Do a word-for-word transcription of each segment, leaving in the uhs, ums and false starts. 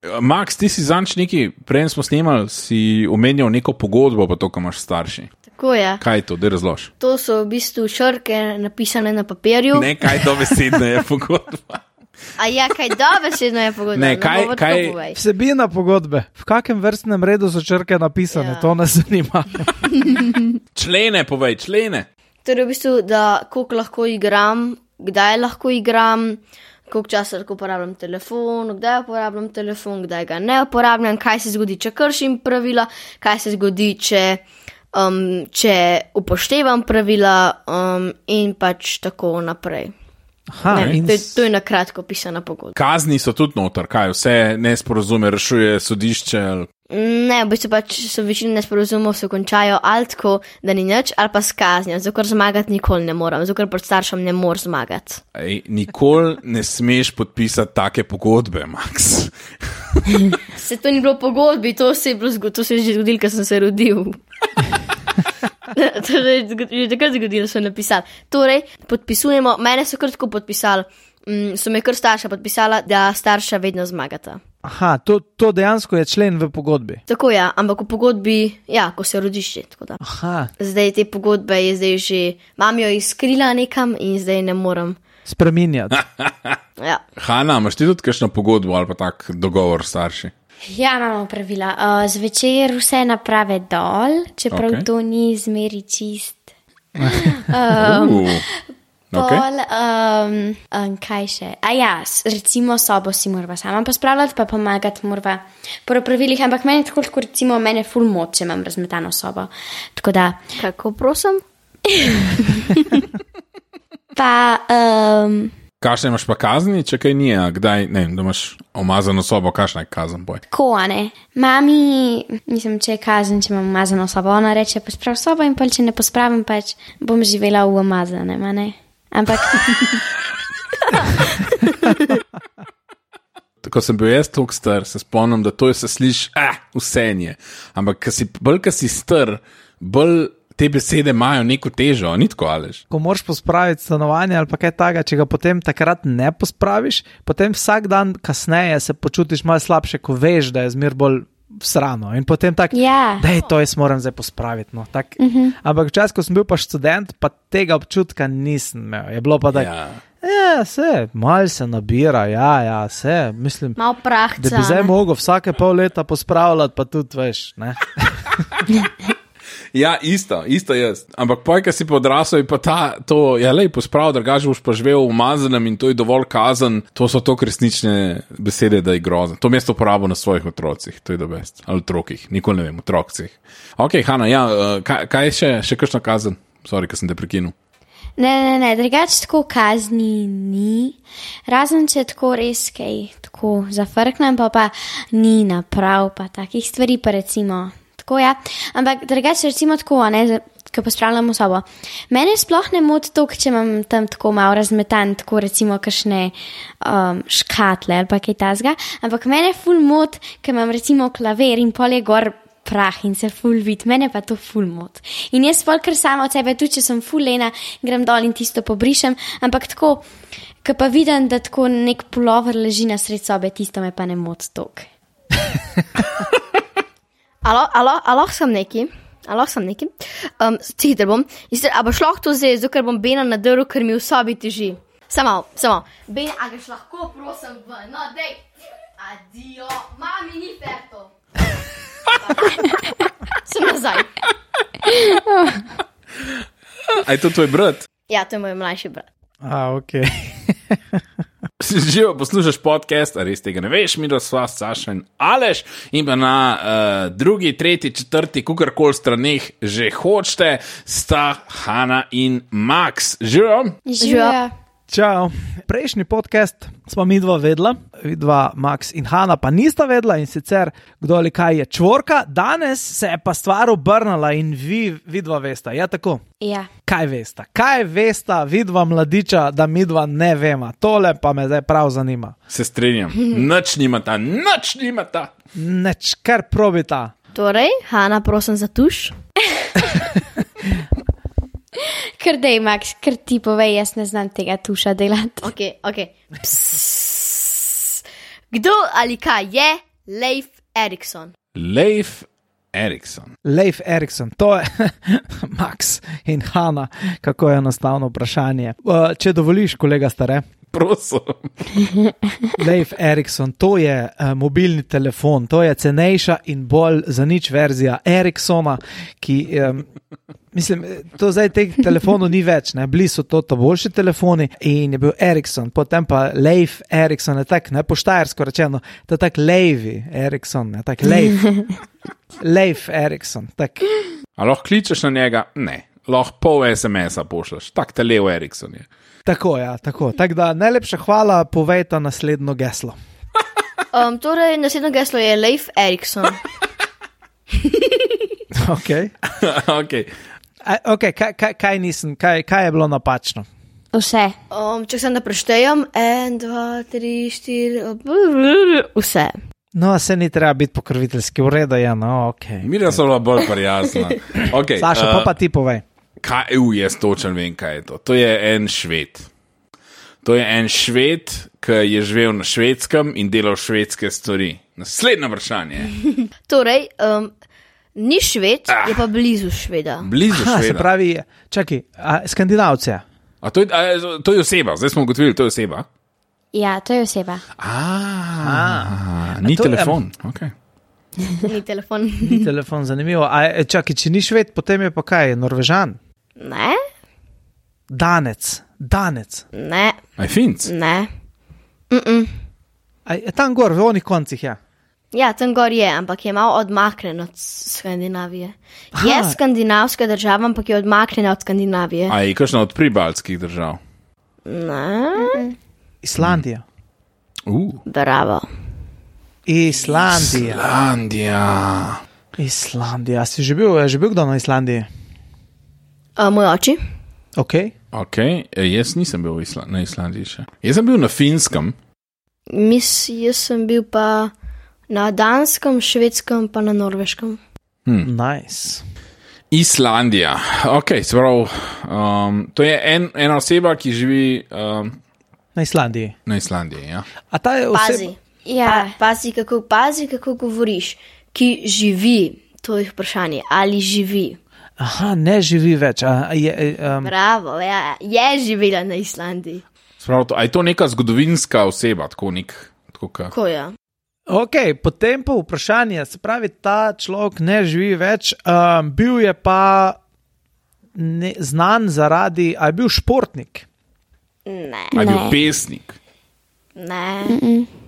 Max, ti si zanč neki, prej smo snimali, si omenjal neko pogodbo, pa to, ko imaš starši. Tako je. Kaj je to, da razlož? To so v bistvu črke napisane na papirju. Ne, kaj dobesedno je pogodba. A ja, kaj dobesedno je pogodba? Ne, kaj, no, kaj... Vsebina pogodbe. V kakem vrstnem redu so črke napisane, ja. To nas zanima. Člene, povej, člene. Torej v bistvu, da koliko lahko igram, kdaj lahko igram, koliko časa lahko uporabljam telefon, kdaj uporabljam telefon, kdaj ga ne uporabljam, kaj se zgodi, če kršim pravila, kaj se zgodi, če, um, če upoštevam pravila um, in pač tako naprej. Aha, ne, in... to, je, to je na kratko pisana pogodba. Kazni so tudi noter, kaj vse nesporazume rešuje sodišče? Ne, v bistvu pač so večina nesporazumov se končajo ali tako, da ni nič, ali pa s kaznijo, zato ker zmagati nikoli ne moram, zato ker pred staršem ne morem zmagati. Ej, nikoli ne smeš podpisati take pogodbe, Max. Se to ni bilo pogodbi, to se je, bilo, to se je že zgodilo, ker sem se rodil. To je že takrat zgodilo, so napisali. Torej, podpisujemo, mene so kar tako podpisali, mm, so me kar starša podpisala, da starša vedno zmagata. Aha, to, to dejansko je člen v pogodbi. Tako ja, ampak v pogodbi, ja, ko se rodiš že, tako da. Aha. Zdaj te pogodbe je zdaj že, mam jo izkrila nekam in zdaj ne morem spreminjati. Ja. Hana, imaš ti tudi kakšno pogodbo ali pa tak dogovor starši? Ja, imamo pravila. Uh, zvečer vse naprave dol, čeprav Okay. to ni zmeri čist. Um, uh, okay. Pol, um, um, kaj še? A ja, s- recimo sobo si morava sama pospravljati, pa pomagati morava po pravilih, ampak meni tako, tako recimo, mene ful moč, če imam razmetano sobo. Tako da, Kako prosim? pa, um, Kakšne imaš pa kazni, če kaj nije, a kdaj, ne vem, da imaš omazano sobo, kakšna je kazen, boj? tako, a ne. Mami, mislim, če je kazen, če imam umazano sobo, ona reče, posprav sobo in pol, če ne pospravim, pač bom živela v umazanem, a ne. Ampak, Ko sem bil jaz toliko star, se spomnim, da to je se sliši, ah, vse je. Ampak ko si, bolj, ko si star, bolj te besede imajo neko težo, ni tako, Aleš? Ko moraš pospraviti stanovanje ali pa kaj takega, če ga potem takrat ne pospraviš, potem vsak dan kasneje se počutiš malo slabše, ko veš, da je zmer bolj srano. In potem tak, ja. da je to, jaz moram zdaj pospraviti. No, tak. Uh-huh. Ampak včasih, ko sem bil pa študent, pa tega občutka nisem imel. Je bilo pa tako, Ja. ja, se, malo se nabira, ja, ja, se, mislim, Mal prahca. da bi zdaj ne? mogel vsake pol leta pospravljati, pa tudi veš, ne. Ja, isto, isto jaz. Ampak poj, ko si pa odrasel, je pa ta, to, ja, lej, posprav, drugače boš pa živel v umazanem in to je dovolj kazen, to so to resnične besede, da je grozen. To mesto uporabo na svojih otrocih, to je do best. Ali otrokih, nikoli ne vem, otrokcih. Ok, Hana, ja, uh, kaj, kaj je še, še kakšna kazen? Sorry, ko sem te prekinul. Ne, ne, ne, drugače tako kazni ni, razen če tako res kaj tako zafrknem, pa pa ni naprav, pa takih stvari pa recimo, tako ja, ampak drugače recimo tako, a ne, ko pospravljamo sobo. Mene sploh ne moti to, če imam tam tako malo razmetan, tako recimo kakšne um, škatle ali pa kaj tazga, ampak mene ful moti, ko imam recimo klaver in pol je gor prah in se ful vid, mene pa to ful mot. In jaz pol kar sama od sebe, tudi če sem ful lena, grem dol in tisto pobrišem, ampak tako, ko pa vidim, da tako nek pulover leži na sred sobe, tisto me pa ne mot tok. Alo, alo, alo, sem neki. Alo, sem neki. Um, Cihiter bom. Ister, a boš lahko to zdaj, zato ker bom Bena nadrl, ker mi v sobi teži. Samo, samo. Ben, a gaš lahko, prosim, ven. No, dej. Adio. Mami, ni ferto. Sem nazaj. A je to tvoj brat? Ja, to je moj mlajši brat. A, ok. Živo poslušaš podcast, a res tega ne veš, mi da sva Saša in Aleš in pa na uh, drugi, tretji, četrti, kukorkoli straneh že hočete, sta Hana in Max. Živo? Živijo. Čau. Prejšnji podcast smo mi dva vedla, vidva Max in Hana pa nista vedla in sicer kdo ali kaj je čvorka, danes se je pa stvar obrnala in vi vidva vesta, ja tako? Ja. Kaj vesta? Kaj vesta vidva mladiča, da midva ne vema? Tole pa me zdaj prav zanima. Se strinjam. Nič nimata, nič nimata. Neč, kar probita. Torej, Hana, prosim za tuš. Kar dej, Max, kar ti povej, jaz ne znam tega tuša delati. Ok, ok. Psss. Kdo ali kaj je Leif Erikson. Leif Erikson. Leif Erikson, to je Max in Hanna, kako je enostavno vprašanje. Uh, če dovoliš, kolega stare. Prosim. Leif Erikson, to je uh, mobilni telefon, to je cenejša in bolj za nič verzija Eriksona, ki, um, mislim, to zdaj teh telefonov ni več, ne, bili so to, to boljši telefoni in je bil Erikson, potem pa Leif Erikson, je tak, ne, po štajersko rečeno, to je tak Leivi Erikson, ne, tak Leif, Leif Erikson, tak. A lahko kličeš na njega? Ne. Lahko pol es em es-a pošleš, tak te Leo Erikson je. Tako, ja, tako. Tako da najlepša hvala, povejta naslednjo geslo. Um, torej, naslednjo geslo je Leif Erikson. Ok. Ok. A, ok, kaj, kaj, kaj nisem, kaj, kaj je bilo napačno? Vse. Um, če sem da preštejem, en, dva, tri, štiri, vse. No, se ni treba biti pokroviteljski, v redu je, no, ok. Mira so bila bolj prijazna. Okay, Saša, pa uh, pa ti povej. Kaj, uh, jaz točen vem, kaj je to. To je en Šved. To je en Šved, ki je živel na Švedskem in delal švedske stvari. Naslednje vprašanje. Torej, um, ni Šved, ah. je pa blizu Šveda. Blizu Ha, se Šveda. pravi, čakaj, a, Skandinavce. A to, je, a, to je oseba, zdaj smo ugotovili, to je oseba. Ja, to je oseba. A, A. ni A to je- telefon. Okay. Ni telefon. Ni telefon, zanimivo. A, e, čakaj, če ni Šved, potem je pa kaj, Norvežan? Ne, Danec, Danec. ne, Aj Finc. ne. Mm-mm. A, je tam gor, v onih koncih, ja. Ja, tam gor je, ampak je malo odmaknen od Skandinavije. Aha. Je skandinavska država, ampak je odmaknjena od Skandinavije. A je kakšna od pribaltskih držav? Ne, Islandija. Uh. bravo. Islandija. Islandija. Islandija. Si že bil, je že bil kdo na Islandiji? A, moj oči? Ok. Ok, e, jaz nisem bil v Isla na Islandiji še. Jaz sem bil na Finskem. Mis, jaz sem bil pa na Danskem, Švedskem, pa na Norveškem. Hmm. Nice. Islandija. Ok, se pravi, um, to je en, ena oseba, ki živi um, Na Islandiji. na Islandiji. Ja? A ta je Pazi, oseba... Ja. pa, pazi, kako, pazi, kako govoriš. Ki živi, to je vprašanje, ali živi. Aha, ne živi več. A, je, um, Bravo, ja, je živela na Islandiji. Sprav, to, a je to neka zgodovinska oseba, tako nek, tako ka. Ko je? ok, potem pa vprašanje. Se pravi, ta človek ne živi več. Um, bil je pa ne, znan zaradi... A je bil športnik? Ne, A je bil Ne. pesnik? ne.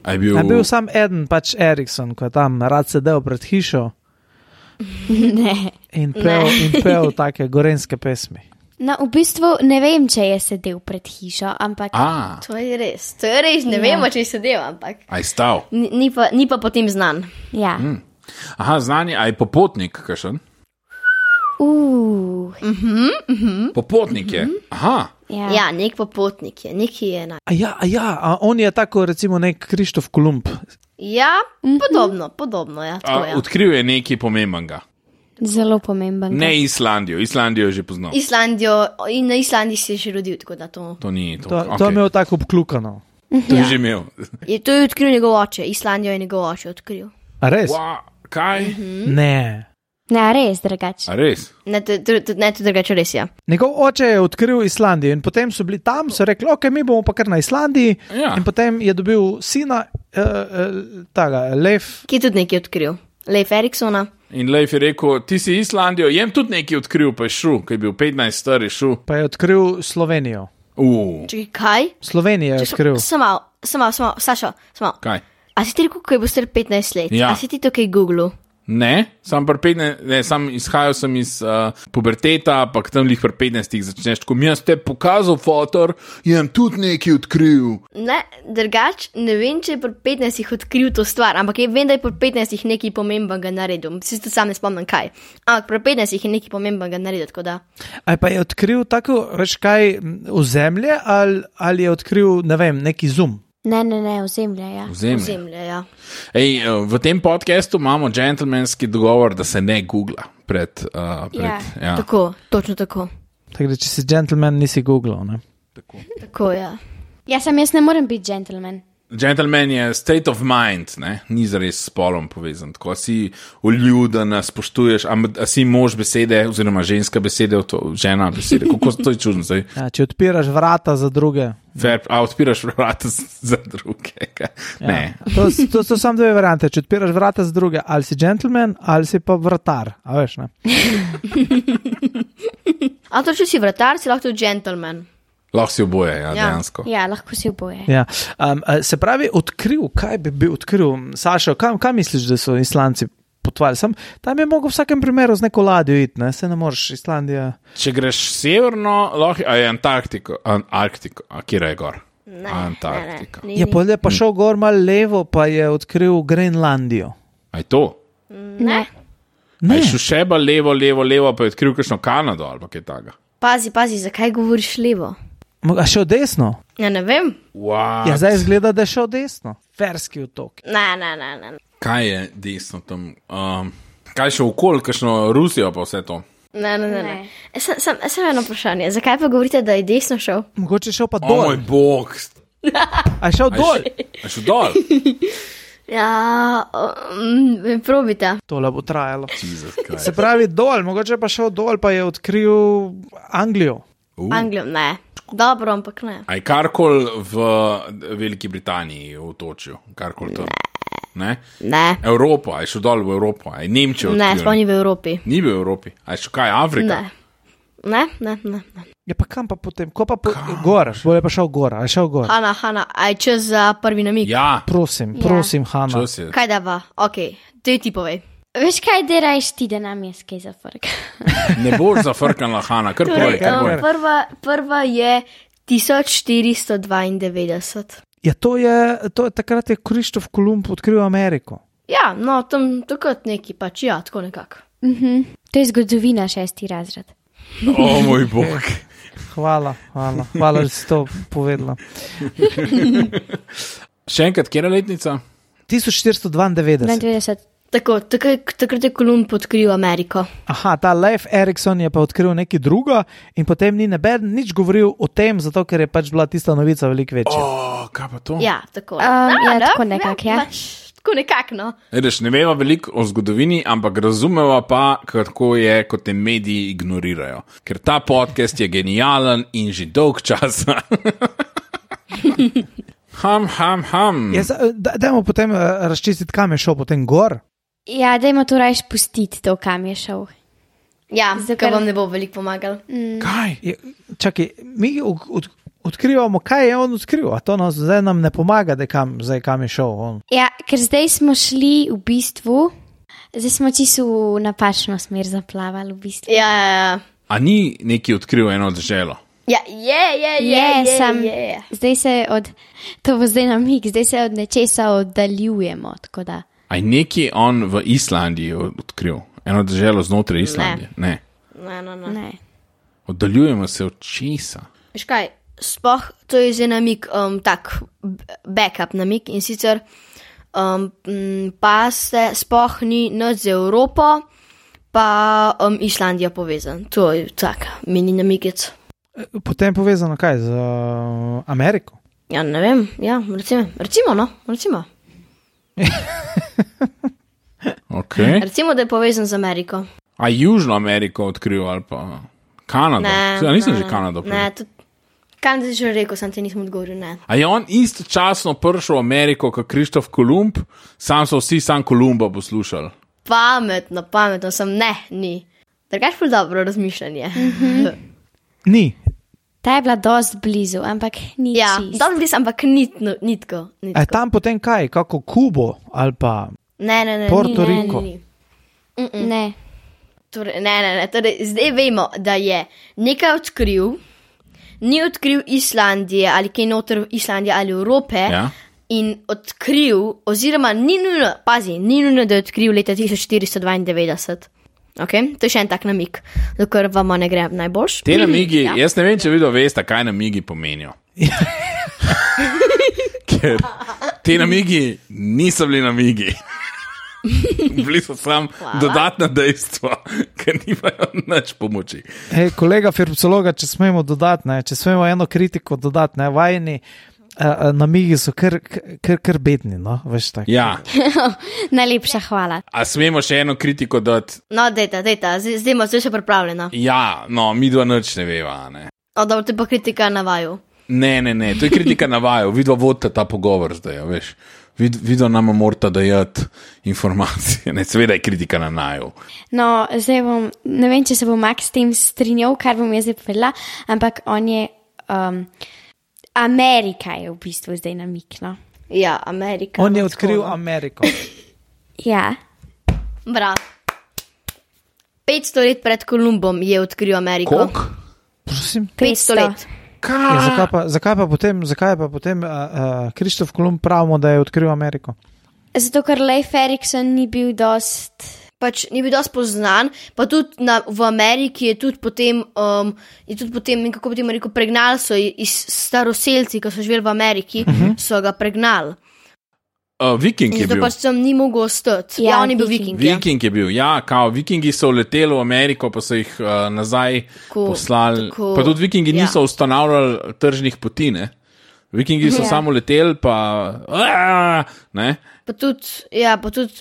A je bil... A je bil sam eden, pač Erikson, ko je tam rad sedel pred hišo Ne. in pel, in pel take gorenske pesmi. No, v bistvu ne vem, če je sedel pred hišo, ampak A, To je res, to je res, ne Ja. vemo, če je sedel, ampak a je stal. ni, ni, pa, ni pa potem znan. ja. Aha, znanje, a je popotnik, kakšen? Uh, Popotnik je. Aha, ja. Ja, nek popotnik je, neki je enak. A ja, a ja, a on je tako recimo nek Krištof Kolumb. Ja, podobno, podobno, ja, tako a, je. odkril je nekaj pomembenega. Zelo pomemben. Ne Islandijo, Islandijo je že poznal. Islandijo, in na Islandiji se je že rodil, tako da to. To ni to. To, okay. to je imel tako obklukano. To je že imel. Je to je odkril njegov oče, Islandijo je njegov oče odkril. A res? Wow, kaj? Ne. Ne, res drugače. A res? Ne, to, to, to, ne, to drugače res je. Njegov oče je odkril Islandijo in potem so bili tam, so rekli, ok, mi bomo pa kar na Islandiji. Ja. In potem je dobil sina, uh, uh, taga, Leif. Ki je tudi nekaj odkril. Leif Eriksona. In Leif je rekel, ti si Islandijo, jem tudi nekaj odkril, pa je šel, ki je bil petnajst star, je šel. Pa je odkril Slovenijo. Uh, Čekaj, kaj? Slovenijo je odkril. Samo, samo, samo, Sašo, samo. kaj? A si ti rekel, ko je bil star petnajst let? Ja. A si ti to kaj Google? Ne, sam, petnajst, ne, sam izhajal sem iz uh, puberteta, pa tam lih pri petnajstih začneš tako, mi ste pokazal fotor, jem tudi nekaj odkril. Ne, drugač, ne vem, če je pri petnajstih odkril to stvar, ampak je, vem, da je pri petnajstih nekaj pomembenega naredil. Si tudi sam ne spomnim kaj. Ampak pri petnajstih je nekaj pomembenega naredil, tako da. A pa je odkril tako, veš kaj, v zemlje ali, ali je odkril, ne vem, neki zum. Ne, ne, ne, ozemlja, ja. Vzemlje. Zemlja, ja. Ej, uh, v tem podkastu imamo džentlmenski dogovor, da se ne googla pred. Uh, pred Ja. ja. Tako, točno tako. Tako da, če si gentleman, nisi googlal, ne? Tako, ja. Ja, sem jaz ne morem biti gentleman. Gentleman je state of mind, ne? Ni zares s spolom povezan. Tako si uljuden, spoštuješ, a, a si mož besede, oziroma ženska besede, to, žena besede. Kako to je čudno zdaj? Ja, če odpiraš vrata za druge. Fair, a odpiraš vrata za druge. Ne. Ja. To, to so samo dve variante. Če odpiraš vrata za druge, ali si gentleman, ali si pa vratar. A veš, ne? A to, če si vratar, si lahko tudi gentleman. Lahko si oboje, ja, Ja. dejansko. Ja, lahko si oboje. Ja. Um, se pravi, odkril, kaj bi bil odkril, Sašo, kam, kam misliš, da so Islandci potovali? Sam, tam je mogel v vsakem primeru z neko ladjo iti, ne? Se ne moreš, Islandija. Če greš severno, lahko, a je Antarktiko, An Arktiko, a kjer je gor? Ne, Antarktika. ne, ne, Je ni, pa, pa šel gor malo levo, pa je odkril Grenlandijo. A je to? ni. Ne. A Ne, je šel še bolj levo, levo, levo, pa je odkril kakšno Kanado ali pa kaj takega. Pazi, pazi, zakaj govoriš levo? a šel desno? Ja, ne vem. Wow. Ja, zdaj izgleda, da je šel desno. Ferski otok. Ne, ne, ne, ne. Kaj je desno tam? Um, kaj še okoli, kakšno Rusijo pa vse to? Ne, ne, ne. ne. Ne. E, Sem, sem, sem eno vprašanje. Zakaj pa govorite, da je desno šel? Mogoče je šel pa O dol. moj bog. A je šel A je dol? še- a je šel dol? Ja, um, probite. Tole bo trajalo. Jesus Christ. Se pravi dol, mogoče pa šel dol, pa je odkril Anglijo. Uh. Anglijo, ne. Dobro, ampak ne. A je karkoli v Veliki Britaniji v otočju? Karkoli to? Ne. Ne, Evropa, a je šel dol v Evropo? A je Nemčijo ne, odkril? sploh ni v Evropi. Ni bil v Evropi. A je šel kaj, Afrika? Ne. Ne, ne, ne. ne. Ja, pa kam pa potem? Ko pa po, gor, bolje pa šel gor, a je šel gor. Hanna, Hanna, aj čez za prvi namig. Ja, Prosim, Ja. prosim, Hanna. čas je. Kaj da va? Ok, ti ti povej. Veš kaj, derajš ti, da nam je skaj za frk. Ne boš zafrknila, Hanna, kar povej, Torej, kar um, povej. prva, prva je tisoč štiristo dvaindevetdeset. Ja, to je, to je takrat je Krištof Kolumb odkril Ameriko. Ja, no, tam takrat neki pač, ja, tako nekako. Mhm. To je zgodovina, šesti razred. O moj bog. Hvala, hvala, hvala, da si to povedala. Še enkrat, kje je letnica? tisoč štiristo dvaindevetdeset. dvaindevetdeset. Tako, takrat, takrat je Kolumb odkril Ameriko. Aha, ta Leif Erikson je pa odkril nekaj druga in potem ni neben nič govoril o tem, zato ker je pač bila tista novica veliko večja. O, kaj pa to? Ja, tako. Um, ja, no, tako nekako, ja. Pač, tako nekako, no. Edeš, ne veva veliko o zgodovini, ampak razumeva pa, kako je, kot te mediji ignorirajo. Ker ta podcast je genijalen in že dolg čas. ham, ham, ham. Ja, za- da- dajmo potem uh, razčistiti, kam je šel potem gor. Ja, dajmo to rajš pustiti, to kam je šel. Ja, Zato, zakaj ker- vam ne bo veliko pomagal. Kaj? Je, čakaj, mi od, od, odkrivamo, kaj je on odkril, a to nas zdaj nam ne pomaga, da kam, zdaj kam je šel on. Ja, ker zdaj smo šli v bistvu, zdaj smo čisto v napačno smer zaplavali v bistvu. Ja, ja, ja. A ni neki odkril eno državo? Ja, je, je, je, Je, je, sam- je. Zdaj se od, to bo zdaj namig, zdaj se od nečesa oddaljujemo, tako da. A je neki on v Islandiji odkril? Eno državo znotraj Islandije? Ne. Ne, ne, ne. Ne. Oddaljujemo se od česa. Veš kaj, sploh to je zdaj namik, um, tak b- backup namik in sicer um, m, pa se sploh ni nič z Evropo, pa um, Islandija povezan. To je tak mini namikec. Potem povezano kaj z uh, Ameriko. Ja, ne vem, ja, recimo, recimo, no, recimo. Okay. Recimo, da je povezan z Ameriko. A Južno Ameriko odkril ali pa Kanado? Ne, Saj, nisem ne, že ne. Kanado. Ne, tudi Kanada je že rekel, sem ti nisem odgovoril, ne. A je on istočasno prišel v Ameriko kot Krištof Kolumb, sam so vsi sam Kolumba poslušali. Pametno, pametno sem, ne, ni. Drugač pa dobro razmišljanje. Ni. Ta je bila dost blizu, ampak ni Ja, čist. dobro blizu, ampak nitko, nitko. A je nitko. tam potem kaj, kako Kubo ali pa Ne, ne, ne. Porto ni, Rico. Ne, ni, ni. Ne. Torej, ne, ne, ne. Torej, zdaj vemo, da je nekaj odkril, ni odkril Islandije ali kaj noter Islandije ali Evrope. Ja. In odkril, oziroma ni nujno, pazi, ni nujno, da je odkril leta tisoč štiristo dvaindevetdeset. Okay? To je še en tak namik, dokler vam ne gre najboljš. Te namigi, Ja. jaz ne vem, če vi veste, kaj namigi pomenijo. Ker te namigi niso bili namigi. Bili so sam dodatna dejstva, ker nimajo nič pomoči. Hej, kolega Firpsologa, če smemo dodati, ne, če smemo eno kritiko dodati, ne, vajeni uh, namigi so kar, kar, kar bedni, no, veš tako. Ja. Najlepša hvala. A smemo še eno kritiko dati? No, dejta, dejta, zdaj zdaj ima vse še pripravljeno. Ja, no, mi dva nič ne veva, ne. O, dobro, to je pa kritika na vaju. Ne, ne, ne, to je kritika na vaju, vidva vodite ta pogovor zdaj, ja, veš. Vid, vidva nama morata dajati informacije, ne, seveda je kritika na naju. No, zdaj bom, ne vem, če se bo Max s tem strinjal, kar bom jaz zdaj povedala, ampak on je, um, Amerika je v bistvu zdaj namikno. Ja, Amerika. On je odkril Ameriko. Ja. Bra. petsto let pred Kolumbom je odkril Ameriko. Koliko? Prosim. petsto let. Ja, zakaj, pa, zakaj pa potem, zakaj pa potem uh, uh, Krištof Kolumb pravimo, da je odkril Ameriko? Zato, ker Leif Erikson ni bil dost... Pač ni bil dosti poznan, pa tudi na, v Ameriki je tudi potem, um, je tudi potem, kako bi temu rekel, pregnali so iz staroselci, ki so živeli v Ameriki, uh -huh. so ga pregnali. Uh, Viking je Zato bil. pač sem ni mogel ostati. Ja, Ja, on je bil Viking. Viking. Ja. Viking je bil, ja, kao, Vikingi so leteli v Ameriko, pa so jih uh, nazaj Tako, poslali. tako, Pa tudi Vikingi ja. niso ustanavljali tržnih poti, ne. Vikingi so Ja. samo leteli, pa Aaaa! Ne. Pa tudi, ja, pa tudi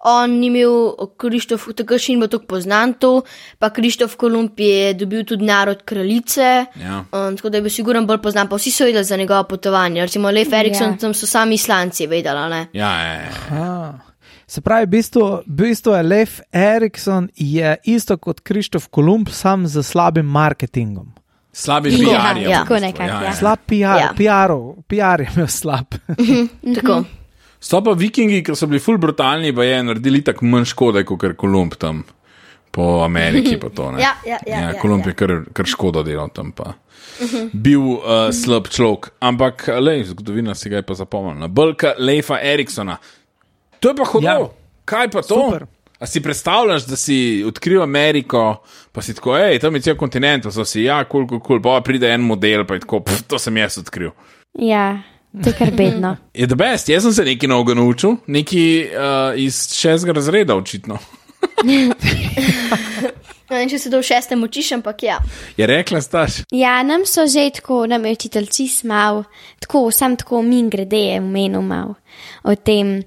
on ni imel, Krištof, tako še ni bil tako poznan to, pa Krištof Kolumb je dobil tudi narod kraljice, Ja. um, tako da je bil siguren bolj poznan, pa vsi so vedeli za njegovo potovanje, recimo Leif Erikson, Ja. tam so sami Islanci vedeli, ne? Ja, ja, ja. Ah. Se pravi, v bistvu, v bistvu je Leif Erikson je isto kot Krištof Kolumb, sam z slabim marketingom. Slabi Ja, P R je. ja. v bistvu, Tako nekako, ja. Slab P R, Ja. P R-ov, P R je imel slab. Tako. So pa Vikingi, ki so bili ful brutalni, pa je naredili tako manj škode, kot ker Kolumb tam po Ameriki. Pa to, ne. Ja, ja, ja, ja, ja, Kolumb ja. je kar, kar škodo delal tam. Pa. Bil uh, slab človek, ampak lej, zgodovina si ga je pa zapomnila. Bolka Leifa Eriksona. To je pa hodil. Ja. Ja. Kaj pa to? Super. A si predstavljaš, da si odkril Ameriko, pa si tako, hej, tam je cel kontinent, pa so si, ja, kul, kul, kul, pa pride en model, pa je tako, pff, to sem jaz odkril. Ja, to je kar bedno. Je the best, jaz sem se nekaj novega naučil, nekaj uh, iz šestega razreda očitno. Ne vem, če se to v šestem učiš, ampak ja. Je rekla staš. Ja, nam so že tako, nam je učitelj čist mal, tako, sam tako min grede je omenil mal o tem,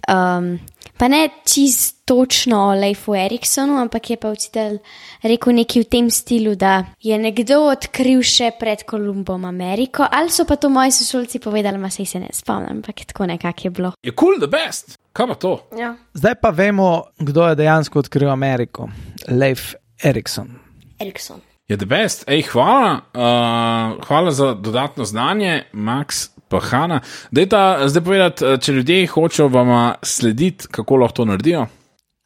um, pa ne čist točno o Leifu Eriksonu, ampak je pa učitelj rekel nekaj v tem stilu, da je nekdo odkril še pred Kolumbom Ameriko, ali so pa to moji sošolci povedali, ma sej se ne spomnim, ampak tako nekako je bilo. Je cool the best. Kaj pa to? Ja. Zdaj pa vemo, kdo je dejansko odkril Ameriko. Leif Erikson. Erikson. Je the best. Ej, hvala, uh, hvala za dodatno znanje, Max pa Hana. Dajta zdaj povedati, če ljudje hočejo vama slediti, kako lahko to naredijo.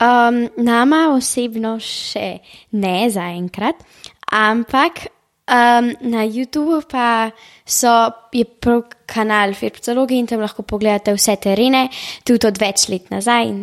Um, nama osebno še ne zaenkrat, ampak um, na YouTubu pa so, je prav kanal Firpcologi in tam lahko pogledate vse terene, tudi od več let nazaj in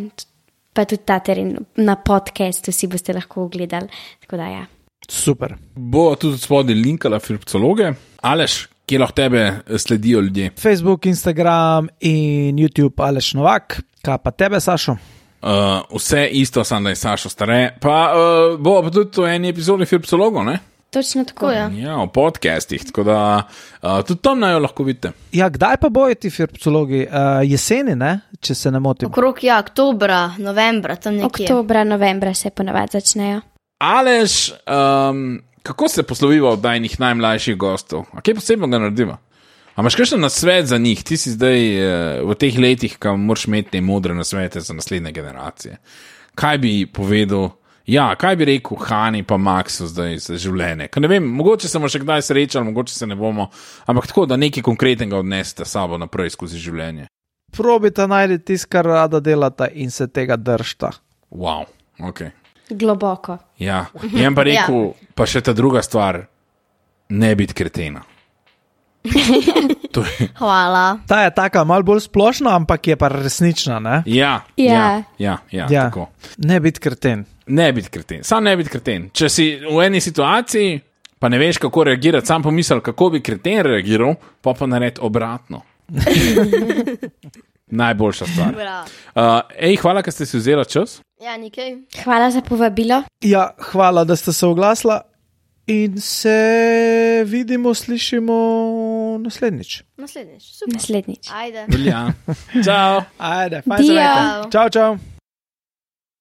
pa tudi ta teren na podcastu si boste lahko ogledali. Tako da ja. Super. Bo tudi spodaj linkala Firpcologe. Aleš, kje lahko tebe sledijo ljudje? Facebook, Instagram in YouTube Aleš Novak. Kaj pa tebe, Sašo? Uh, vse isto, samo da je Sašo stare. Pa uh, bo pa tudi v eni epizodi Firpcologov, ne? Točno tako. Tako je. Ja, v podcastih, tako da uh, tudi tam naj jo lahko vidite. Ja, kdaj pa bojo ti Firpcologi? Uh, jeseni, ne? Če se ne motim. Okrog, ja, oktobra, novembra, tam nekje. Oktobra, novembra se ponavadi začnejo. Aleš, um, kako se posloviva od najnih najmlajših gostov? A kaj posebnega narediva? A imaš kakšen nasvet za njih? Ti si zdaj uh, v teh letih, ko moraš imeti te modre nasvete za naslednje generacije. Kaj bi povedal? Ja, kaj bi rekel Hani pa Maxu zdaj za življenje? Ker ne vem, mogoče se bomo še kdaj srečali, mogoče se ne bomo, ampak tako, da nekaj konkretnega odnesete sabo naprej skozi življenje. Probita najti tisto, kar rada delata in se tega držta. Wow, ok. Globoko. Ja, jem pa rekel, ja. Pa še ta druga stvar, ne biti kretena. To je, Hvala. Ta je taka malo bolj splošna, ampak je pa resnična, ne? ja, Ja. ja, ja, ja, Ja. tako. Ne biti kreten. Ne biti kreten, sam ne biti kreten. Če si v eni situaciji, pa ne veš, kako reagirati, sam pomisel, kako bi kreten reagiral, pa pa naredi obratno. Najboljša stvar. Uh, ej, hvala, ker ste si vzeli čas. Ja, nekaj. Hvala za povabilo. Ja, hvala, da ste se oglasila in se vidimo, slišimo naslednjič. Naslednjič. Super. Naslednjič. Ajde. Velja. Čau. Ajde, fajn se Dio. imejte. Čau, čau.